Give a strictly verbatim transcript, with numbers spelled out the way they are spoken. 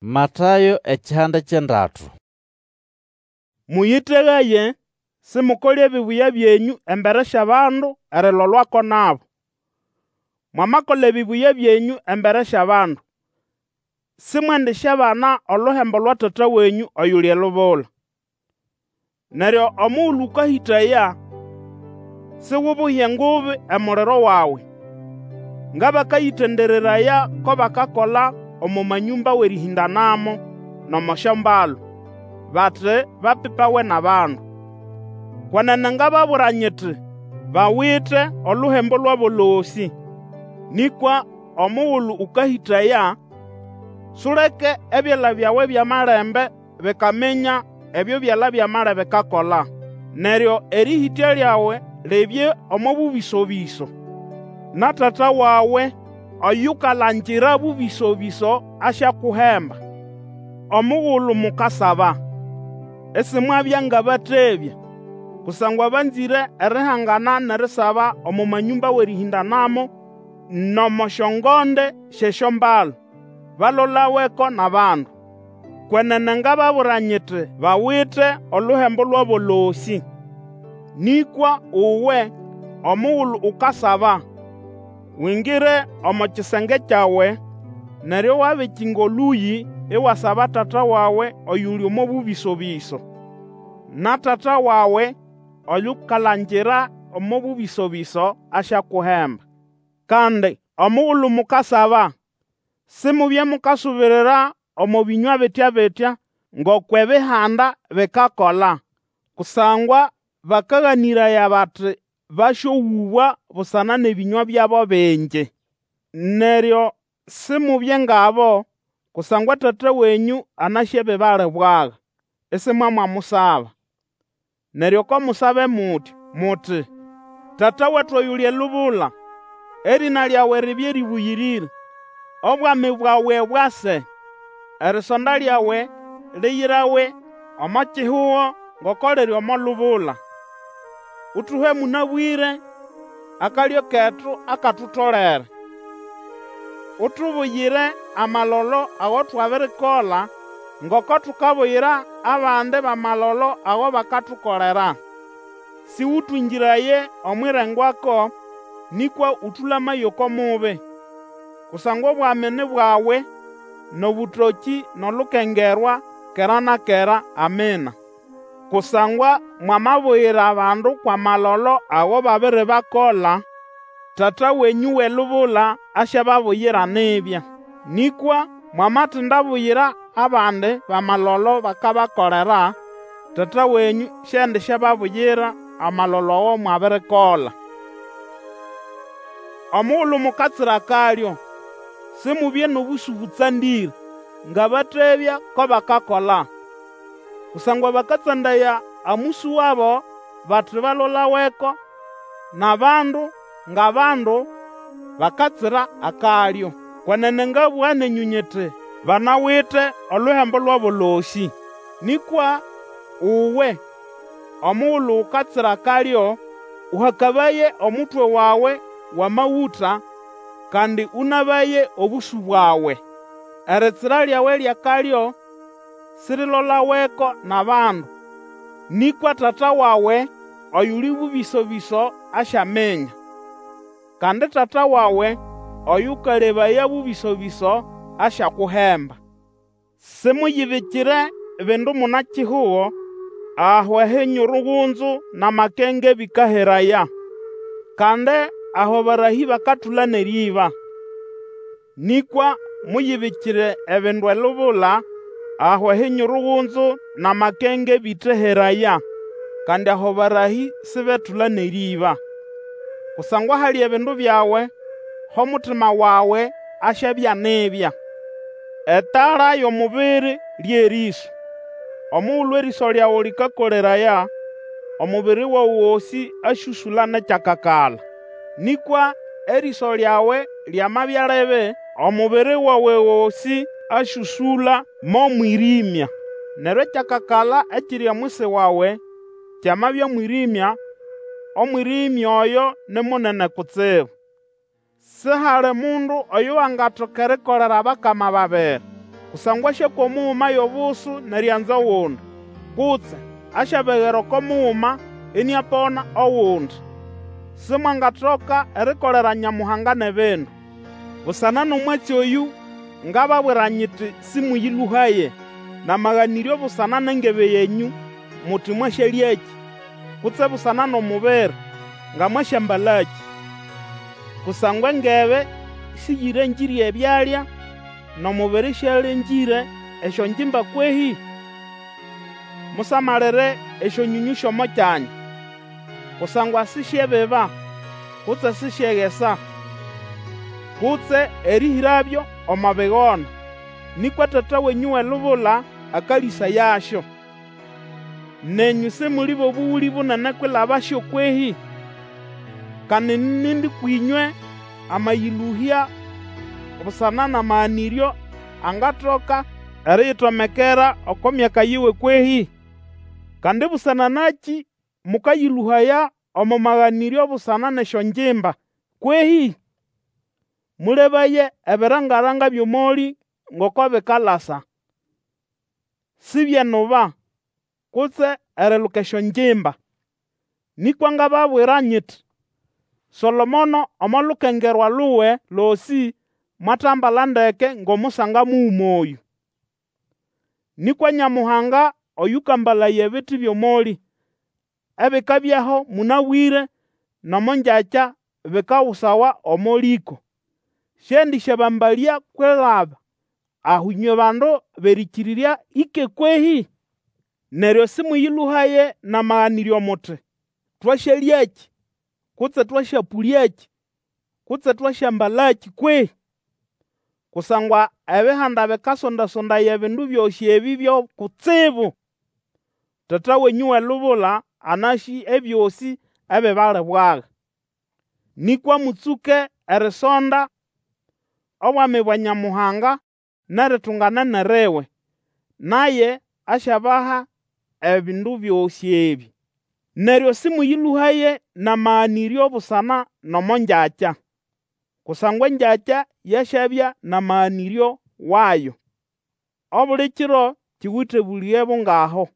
Matayo ekihanda ky'endatu. Mũyĩtegaye, simukole ebibuya byenyũ embere sy'abandu erilolwako nabo. Mwamakola ebibuya byenyũ embere sy'abandu, simwendisyabana oluhembo lwa Tata wenyũ oyuli elubula. Neryo omugulu ũkahĩtaya, sigubuhye engubi emuliro wawe, ng'abakayĩtendereraya ko bakakola omo manyũmba w'erĩhĩndanamo n'omo syombalu, bati bapipawe n'abandu. Kwenene ngababwira nyiti, Bawite oluhembo lwabo losĩ. Nĩkwa omugulu ũkahĩtaya, suleke ebyala byawe by'amalembe bikaminya ebyo byala by'amali bikakola. Neryo erĩhĩtya lyawe libye omo bũbĩso-bĩso, na Tata wawe oyukalangira bũbĩso-bĩso asyakuhemba. Omugulu mukasaba, isimwabya ng'abatebya, kusangwa banzĩre erihangana n'erisaba omo manyũmba w'erĩhĩndanamo n'omo syongonde sy'esyombalu, balolaweko n'abandu. Kwenene ngababwira nyiti, Bawite oluhembo lwabo losĩ. Nĩkwa uwe, omugulu ukasaba, wingire omo kisenge kyawe, neryo wabikinga olũyĩ, iwasaba Tata wawe oyuli omo bũbĩso-bĩso. Na Tata wawe oyukalangira omo bũbĩso-bĩso asyakuhemba. Kandi omugulu mukasaba, Simubye mukasubirira omo bĩnywa bitya-bitya ng'okw'Ebihanda bikakola, kusangwa bakaganĩraya bati basyowũbwa busana n'ebĩnywa byabo bingi. Neryo Simubye ng'abo, kusangwa Tata wenyũ anasĩ ebibalibwaga, isimwamwamusaba. Neryo ko musabe mutya muti, Tata wetu oyuli elubula, Erĩna lyawe ribye rĩbũyĩrĩre, Obwami bwawe bwase, Erisonda lyawe liyirawe omo kihugo ngoko liri omo lubula. Utuhe mũnabwĩre akalyo ketu akatutolere. Utubuyire amalolo ago twabirikola, ngoko tukabuyira abandi b'amalolo ago bakatukolera. Sĩũtwĩngĩraye omw'irengwako, nĩkwa ũtũlamaye oko mubi. Kusangwa Obwami ni bwawe, n'obũtokĩ, n'olukengerwa, kera na kera. Amina. Kusangwa mwamabuyira abandu kw'amalolo ago babiribakola, Tata wenyũ w'elubula asyababuyira nibya. Nĩkwa mwamatindabuyira abandi b'amalolo bakabakolera, Tata wenyũ siendisyababuyira amalolo ago mwabirikola. Omugulu mukatsira akalyo, Simubye n'obũsũ bũtsandĩre, ng'abatebya ko bakakola. Kusangwa bakatsandaya amũsũ wabo bati balolaweko n'abandu ng'abandu bakatsira akalyo. Kwenene ngabũga nenyũ nyiti, Banawite oluhembo lwabo losĩ. Nĩkwa uwe, omugulu ukatsira akalyo, ũhakabaye omutwe wawe w'amagũta, kandi ũnabaye obũsũ bwawe. Eritsira lyawe ly'akalyo sirilolaweko n'abandu, nĩkwa Tata wawe oyuli bũbĩso-bĩso asyaminya. Kandi Tata wawe oyũkalebaya bũbĩso-bĩso asyakuhemba. Simuyibikire bindu muna-kihugo, aho ehinyurugunzu n'amakenge bĩkaheraya, kandi aho abarahĩ bakatũla n'erĩĩba. Nĩkwa muyibikire ebindu elubula, aho ehinyurugunzu n'amakenge bĩteheraya, kandi aho abarahĩ sibetũla n'erĩĩba. Kusangwa ahali ebindu byawe, h'omutima wawe asyabya nibya. Etala y'omubiri ly'erĩso. Omugulu erĩso lyawe lĩkakoleraya, omubiri wawe gosĩ asyũsũla n'ekyakakala. Nĩkwa erĩso lyawe lyamabya libi, omubiri wawe gosĩ asyũsũla mo mwĩrĩmya. Neryo ekyakakala ekiri omwisi wawe kyamabya mwĩrĩmya, omwĩrĩmya oyo ni munene kutsibu! Sihali mundu oyo wangatoka erikolera abakama babiri. Kusangwa asyakwa omuguma y'obusu n'erianza ogundi, kutse asyabegera oko muguma iniapona ogundi. Simwangatoka erikolera Nyamuhanga n'ebindu. Busana n'omwatsi oyũ ngababwira nyiti, Sĩmũyĩlũhaye n'amaganĩryo busana n'engebe yenyũ, muti mwasyalyakĩ, kutse busana n'omubiri, nga mwasyambalakĩ. Kusangwa engebe sĩyĩrengĩre ebyalya, n'omubiri sialengĩre esyongimba kwehĩ? Musamalire esyonyonyũ sy'omo kyanya, kusangwa sisyebiba, kutse sisyegesa, kutse erĩhĩrabyo omo bigona, nĩkwa Tata wenyũ w'elubula akalĩsayasyo. Nenyũ Simuli b'obũgũlĩ bunene kwilabasyo kwehĩ? Kandi nindi kwĩnywe amayĩlũhya busana n'amaganĩryo angatoka eriyitomekera oko myaka yiwe kwehĩ? Kandi busana nakĩ mũkayĩlũhaya omo maganĩryo busana n'esyongimba kwehĩ? Mũlebaye ebiranga-ranga by'omolĩ ngoko bikalasa. Sibyenuba, kutse eriluka esyongimba. Nĩkwa ngababwira nyiti, Solomono omo lukengerwa luwe losĩ mwatambala ndeke ng'omusanga muguma oyũ. Nĩkwa Nyamuhanga oyũkambalaya ebiti by'omolĩ, ebikabyaho mũnabwĩre n'omo ngyakya bikagusawa omo lĩko, siendĩsyabambalya kwilaba aho ĩnywe bandu b'erĩkĩrĩrya ĩke kwehĩ? Neryo sĩmũyĩlũhaye n'amaganĩryo muti, Twasyalyakĩ? Kutse twasyapũlyakĩ? Kutse twasyambalakĩ kwehĩ? Kusangwa Ebihanda bikasonda-sondaya ebindu byosĩ ebĩ byo kutsibu. Tata wenyũ w'elubula anasĩ ebyosĩ ebibalibwaga. Nĩkwa mũtsũke erisonda Obwami bwa Nyamuhanga n'eritunganene liwe, naye asyabaha ebindu byosĩ ebĩ. Neryo sĩmũyĩlũhaye n'amaganĩryo busana n'omo ngyakya, kusangwa engyakya yasyabya n'amaganĩryo wayo. Obuli kiro kiwite obũlĩge bungaho.